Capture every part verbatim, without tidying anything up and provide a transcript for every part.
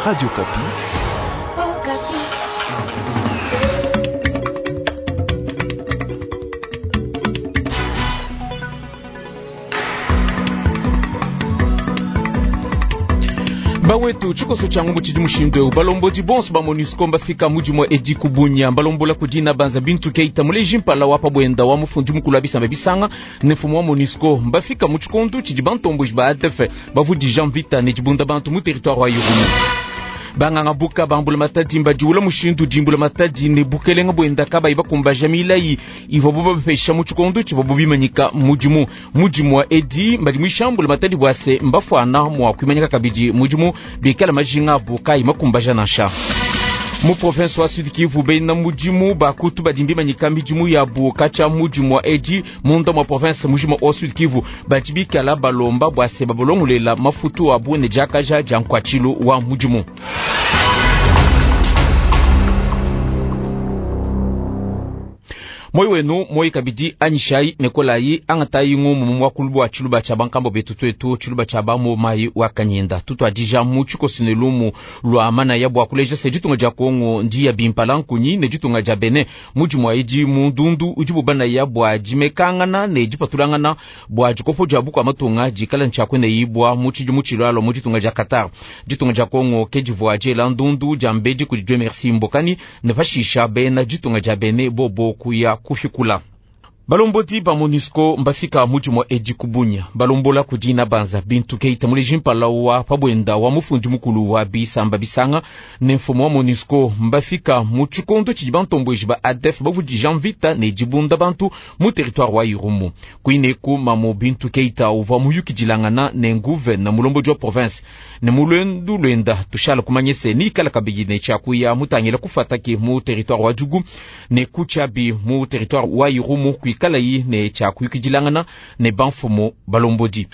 Radio Okapi. Bawetu tshikoso tshia ngumbu tshidi mushindu eu balombodi bonso ba MONUSCO mbafika mudimu edi kubunya balombola kudina banza bintu keita muleji mpala wa pabwenda wa mufundi mukulu wa bisamba bisanga ne mfumu wa MONUSCO mbafika mu tshikondu tshidi bantomboji ba A D F bavudija mvita ne dibunda bantu mu territoire wa Irumu. Banganga buka bambula matadi mbadiula mushindu dimbula matadi ne bukelenga bwenda kabayi bakumbaja milayi ivua bubapesha mu tshikondo tshivua bubimanyika mudimu. Mudimu wa edi mbadi mwishambula matadi bwase mbafuana mua kuimanyika kabidi mudimu bikala majinga abu kayi makumbaja nansha. Mu province wa Sud Kivu bena mudimu bakutu badi mbimanyika midimu yabu katshia mudimu wa edi munda mwa province mujima wa Sud Kivu badi bikala balomba bwase babolongolela mafutu abu ne diakaja dia nkuatshilu wa mudimu. Moi wenu moi kabidi anyishai nekolayi angatayi ngumu mu mwakulu bwa tshiluba tshia bankambo betu twetu tshiluba tshia ba mai wa kanyenda tutwadija mu tshikoso ne lumu lwa manaya bwa kuleja se ditunga dia Kongo ndiya bimpala nkunyi ne ditunga dia Benin mudimu aidi mu ndundu udi bubanaya bwa dimekangana ne dipatulangana bwa dikopo dia bukua matunga dikala ntshiakwene yibwa mu tshidimu tshilwalwa mu ditunga dia Qatar. Ditunga dia Kongo ke divua diela ndundu dia mbedi kudi Dieu merci Mbokani ne pashisha bena ditunga dia Benin bobo kuya kufikula. Balombodi ba MONUSCO mbafika mudimu edi kubunya balombola kudina banza bintu keita muleji mpala wa pabwenda wa mufundi mukulu wa bisamba bisanga ne mfumu wa MONUSCO mbafika mu tshikondo tshidi bantomboji ba A D F bavudija mvita ne dibunda bantu mu territoire wa Irumu. Kuineku mamo bintu keita uvua muyukidilangana ne nguvena mulombodi wa province ne mulwendu lwenda tushala kumanyese nikala kabidi ne tshiakuya mutangila kufataki mu territoire wa Djugu ne kutshiabi mu territoire wa Irumu kuikala yi ne tshiakuyukidilangana ne banfumu balombodi.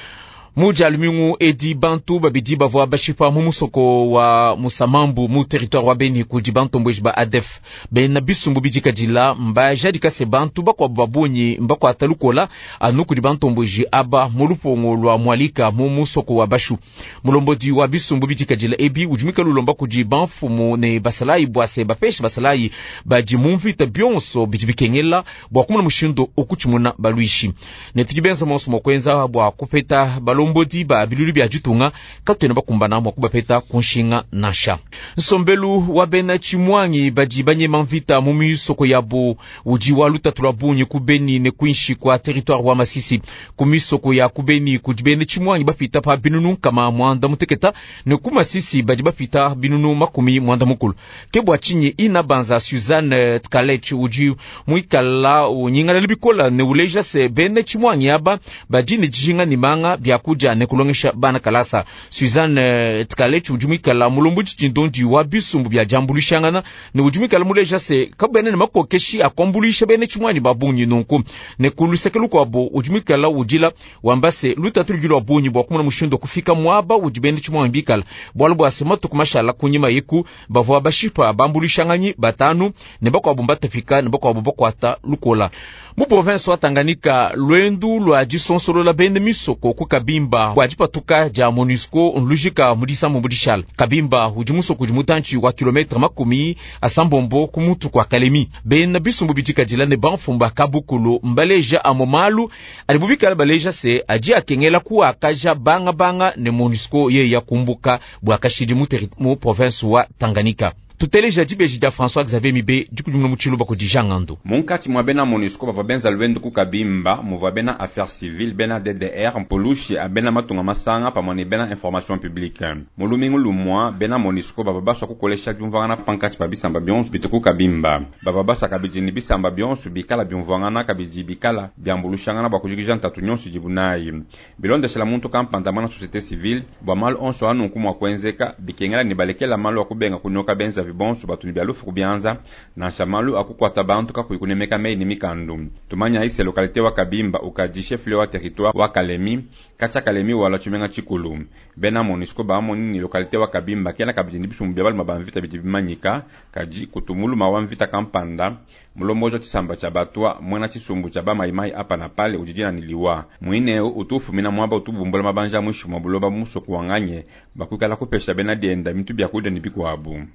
Muja lumingu edi bantu babidi bavua bashipa mu musoko wa Musamambu mu territoire wa Beni kudi bantomboji ba A D F bena bisumbu bidikadila mbajadika se bantu bakuabu babunyi mbakuata lukola anu kudi bantomboji aba mu lupongo lwa Mwalika mu musoko wa Bashu. Mulombodi wa bisumbu bidikadila ebi udi mwikala ulomba kudi banfumu ne basalayi bwase bapesha basalayi badi mu mvita bionso bidi bikengela bua kumona mushindu okutshimuna balwishi ne tudi benza monso mua kuenza bua kupeta balombodi ba bilulu bia ditunga katuena bakumbana mua kubapeta kunshinga nansha. Nsombelu wa bena tshimwangi badi banyema mvita mu misoko yabo udi wa lutatu lwa bungi ku Beni ne kuinshi kwa territoire wa Masisi. Ku misoko ya ku Beni kudi bena tshimwangi bapita pa binunu nkama mwanda muteketa ne ku Masisi badi bapita binunu makumi mwanda mukulu. Ke bua tshinyi ina banza Suzanne Tkalech udi muikala unyingalala bikola ne uleja se bena tshimwangi aba badi ne dijinga ne manga bia kudia ne kulongesha bana kalasa. Suzanne Tkalech udi muikala mulombodi tshindondi wa bisumbu bia diambuluishangana ne udi muikala muleja se kabena ne makokeshi akuambuluisha bena tshimwanyi ba bungi nunku. Ne ku luseke lukuabo udi muikala udila wamba se lutatu ludi lua bungi bua kumona mushindu wa kufika muaba udi bena tshimwanyi bikala bualu bua se matuku mashala kunyima yeku bavua bashipa bambuluishanganyi batanu ne bakuabu mbatapika ne bakuabu bakuata lukola. Mu province wa Tanganyika lwendu lwa disonsolola bena misoko ku Kabimba bua dipatuka dia MONUSCO nlujika mu disambu dishala. Kabimba udi musoko udi mutantshi wa kilometre makumi asambombo ku mutu kwa Kalemi. Bena bisumbu bidikadila ne banfumba kabukulu mbaleja amo malu adi bubikala baleja se adi akengela kuakaja banga ne MONUSCO ye yakumbuka bua kashidi mu, mu province wa Tanganyika. Tuteleja dibeji dia François Xavier Mibe dikudimuna mu tshiluba kudi Jean Ngando. Munkatshi mua bena MONUSCO bavua benza lwendu ku Kabimba muvua bena affaires civiles, bena D D R mpulushi bena matunga masanga pamue ne bena information publique. Mu lumingu lumua bena MONUSCO bavua basua kukolesha diumvuangana pankatshi pa bisamba bionso bitu ku Kabimba. Bavua basua kabidi ne bisamba bionso bikala biumvuangana kabidi bikala biambulushangana bua kujikija ntatu nyonso idibu nayi. Bilondeshela muntu kampanda mwana société civile bua malu onso anunku mua kuenzeka bikengela ne balekela malu a kubenga kunyoka benza. benzavi bonso batu ne bia lufu ku bianza, nansha malu a kukuata bantu kakuyi kunemeka meyi ne mikandu. Tumanyayi se localité wa Kabimba ukadi chef-lieu wa territoire wa Kalemi, katshia Kalemi walua tshimenga tshikulu. Bena MONUSCO bamoni ne localité wa Kabimba kena kabidi ne bisumbu bia balume ba mvita bidi bimanyika, kadi kutu muluma wa mvita kampanda, mulomboji wa tshisamba tshia batwa, muena tshisumbu tshia bamayimayi apa na pale udi dina ne liwa. Muine eu utu ufumina muaba utu bumbula mabanja muinshi mua buloba mu musoko wa Nganye, bakuikala kupesha bena dienda bintu bia kudia ne bikuabu.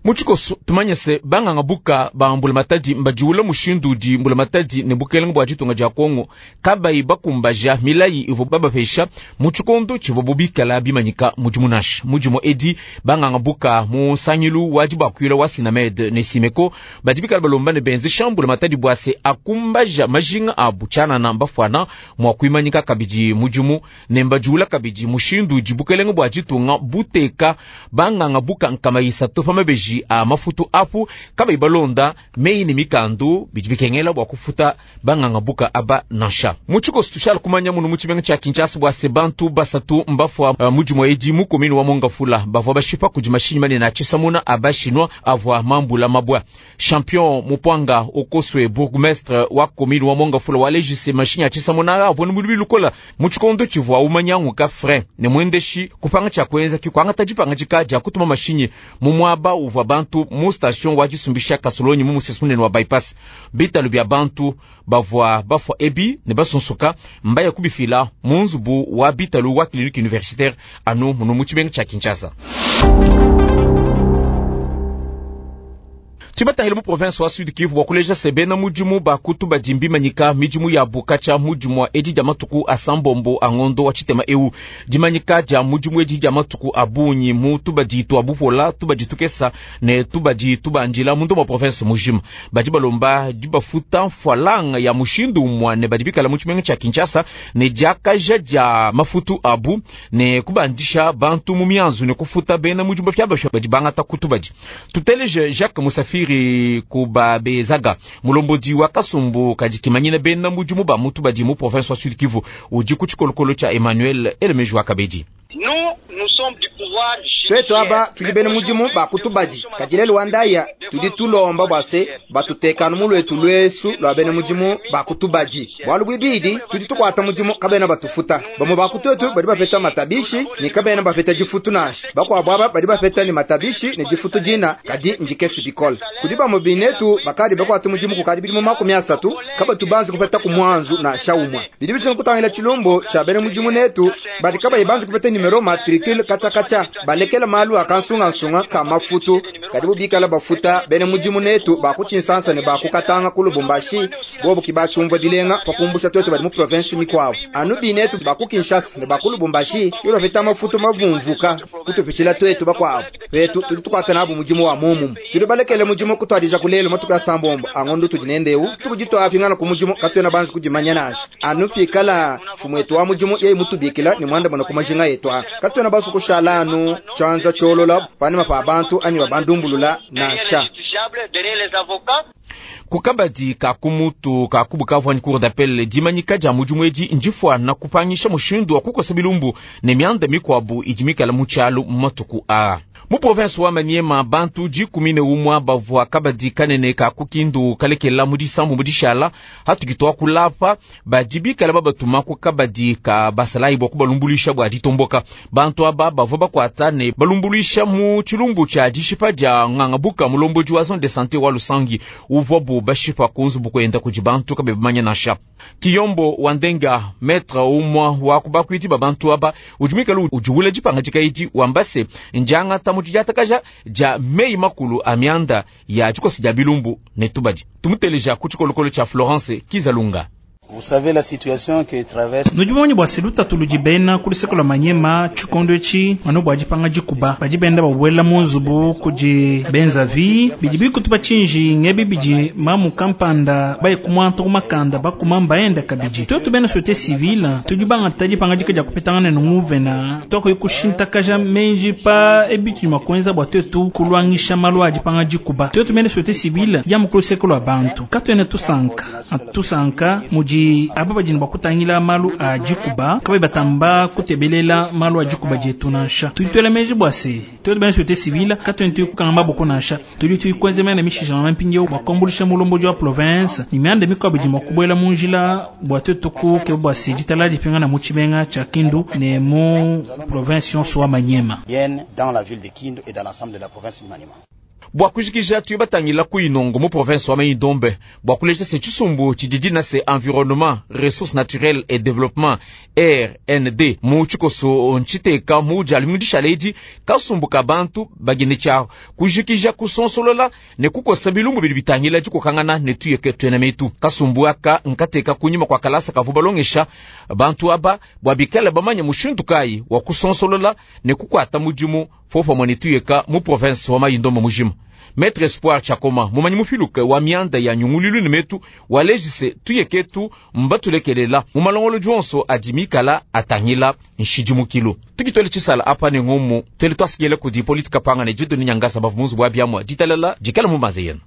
Mu tshikoso tumanye se banganga buka ba mbulamatadi mbadiwula mushindu udi mbulamatadi ne bukelenge bua ditunga dia Kongo kabayi bakumbaja milayi ivua babapesha mu tshikondo tshivua bubikala bimanyika mudimu nansha. Mudimu edi banganga buka mu nsangilu wa dibakuila wa Sinamed ne Simeko badi bikala balomba ne benzesha mbulamatadi bua se akumbaja majinga abu tshianana mbafuana mua kuimanyika kabidi mudimu ne mbadiwula kabidi mushindu udi bukelenge bua ditunga buteka banganga buka nkama isatu pa mabeji a mafutu apu kabayi balonda meyi ne mikandu bidi bikengela bua kufuta banganga buka aba nansha. Mu tshikoso tushala kumanya munu mu tshimenga tshia Kinshasa bua se bantu basatu mbafua uh, mudimu edi mu commune wa Mongafula bavua bashipa kudi mashinyi manene a tshisamuna a bashinwa avua mambula mabwa. Champion Mupwanga Okoswe bourgmestre wa commune wa Mongafula walejise mashinyi a tshisamuna avua ne mulubi lukola mu tshikondo tshivua umanyanguka frein ne mwendeshi kupanga tshia kuenza kikuangata dipangadika dia kutuma mashinyi mu muaba uvua bantu mu station wa disumbisha kasolonyi mu musesu munene wa bypass. Bitalu bia bantu bavua bafua ebi ne basunsuka mbaya kubifila mu nzubu wa bitalu wa clinique universitaire anu munu mu tshimenga tshia Kinshasa. Tibatangile mu province wa Sud Kivu bua kuleja se bena mudimu bakutu badi mbimanyika midimu ya bukatshia mudimu wa edi dia matuku a sambombo a ngondo wa tshitema eu. Dimanyika dia mudimu edi dia matuku a bungi mu tubadi twa bupola, tubadi tukesa ne tubadi tubandila mu ndomo province mujima. Badi balomba dibafuta mfwalanga ya mushindu umue ne badi bikala mu tshimenga tshia Kinshasa ne diakaja dia mafutu abu ne kubandisha bantu mu mianzu ne kufuta bena mudimu bapya badi bangata kutubadi. Tuteleje Jacques Musafiri Kubabezaga mulombodi wa kasumbu kadikimanyina bena mudimu ba mutu badi mu province wa Sud Kivu udi ku tshikolokolo tshia Emmanuel Elemeji wa Kabedi. Twetu aba tudi bena mudimu ba kutubadi kadilele wandaya tudi tulomba bua se batutekanu mu lwetu lwesu lwa bena mudimu ba kutubadi bwalu bwibidi tudi tukwata mudimu kabena batufuta bamwe ba kutwetu badi bapeta matabishi ni kabena bapeta difutu nansha bakwabo aba badi bapeta ni matabishi ne difutu dina kadi ndikesi bikole kudi bamwe binetu bakadi bakwata mudimu kukadi bidimu makumi asatu kabatu banze kupeta ku mwanzu nansha umwe bidi bishinga kutangila tshilumbu tshia bena mudimu netu badi kabayi banze kupeta nimero matricule kacha kacha balekela malu akansungansunga ka mafutu kadi bubikala bafuta bene mudimu netu bakutshinsansa ne bakukatanga ku Lubumbashi bobu kibachumva bilenga pakumbusha twetu badi mu province mikwavu anu binetu bakukinshasa ne baku Lubumbashi yo bapeta mafutu mavumvuka kutupitshila twetu bakwabu petu tudi tukwata nabu mudimu wa mumumu tudi balekele mudimu kutwadija kulelo matuku asambombo angondo tudi nendeu tukujitwapingana ku mudimu katwena banzi kudimanya nansha anu pikala mfumu wa mudimu yeye mutubikila ni mwanda mwana kumajinga yetu katwena basu kushala anu chanza cholola panima pa bantu anyi babandumbulula nansha. Kukabadi kakumutu kakubukavu ni cour d'appel dimanyika dia mudimu edi ndifua kupangisha mushindu wa kukosa bilumbu ne mianda mikwabu idi mikala mu tshialu mu matuku a mu province wa Maniema bantu dikumi ne umwa bavua kabadi kanene kakukindu kalekela mu disambu mu dishala hatukitwa kulapa badi bikala babatuma ku kabadi ka basalayi bua kubalumbulisha bua ditomboka. Bantu aba bavua bakwata ne balumbulisha mu tshilumbu tshia dishipa dia ngangabuka mulombodi wa zone de santé wa Lusangi uvua bu bashipa kunzubu kwenda kudi bantu kabe bamanya nansha. Kiyombo wandenga maître umwa wa kubakwiti babantu aba udi udiwula dipangadika edi wambase njanga tamu diatakaja dia meyi makulu a mianda ya dikosi dia bilumbu ne tubadi. Tumuteleja ku tshikolokolo tshia Florence Kizalunga. Vous savez la situation que traverse. Nujimoni bwa seluta tulujibena kulisekula manyema chikondo echi mano bwa jipanga jikuba bajibenda bawela munzubu kuji benza vi bijibi kutuba chinji ngebi biji mamu kampanda baye kumwanto kumakanda bakumamba enda kabiji twetu bena société civile tujibanga tajipanga jikaja kupetangana nunguvena toko ikushinta menji pa ebitu makwenza bwa twetu kulwangisha malwa jipanga jikuba twetu bena société civile ya mukulusekula bantu katwene tusanka atusanka muji kudi aba badi ne bua kutangila malu a dikuba kabayi batamba kutebelela malu a dikuba dietu nansha. Tudi tuela meji bua se tuetu bena société civile katuena tuyikukanga maboko nansha, tudi tuyikuenza mianda mishishangana mpindieu bua kuambuluisha mulombodi wa province ne mianda mikuabu idi mua kubuela mu njila bua tuetu kukeba bua se ditalala dipingana mu tshimenga tshia Kindu ne mu province yonso wa Maniema. Viennent dans la ville de Kindu et dans l'ensemble de la province de Maniema. Bua kujikija tuye batangila ku Inongo mu province wa Mai-Ndombe bua kuleja se tshisumbu tshidi dina se environnement, ressources naturelles et développement R N D mu tshikoso ntshiteka mu dialu mu dishala edi kasumbu ka bantu bagine tshia kujikija kusonsolola ne kukosa bilumbu bidi bitangila dikokangana ne tuyeke tuena metu. Kasumbu aka nkateka kunyima kua kalasa kavu balongesha bantu aba bua bikale bamanya mushindu kayi wa kusonsolola ne kukuata mudimu popamue ne tuyeka mu province wa Mai-Ndombe mujima. Maître Espoir Chakoma mumanyi mupiluke wa mianda ya nyungulilu ne metu walejise tuyeketu mbatulekelela mu malongolodi onso adi mikala atangila nshidimukilu. Tukitwele tshisala apa ne ngumu twele twasikile kudi politika panga ne didoni nyangasa bavu munzu bwa biamwa ditalala dikala mu maze yenu.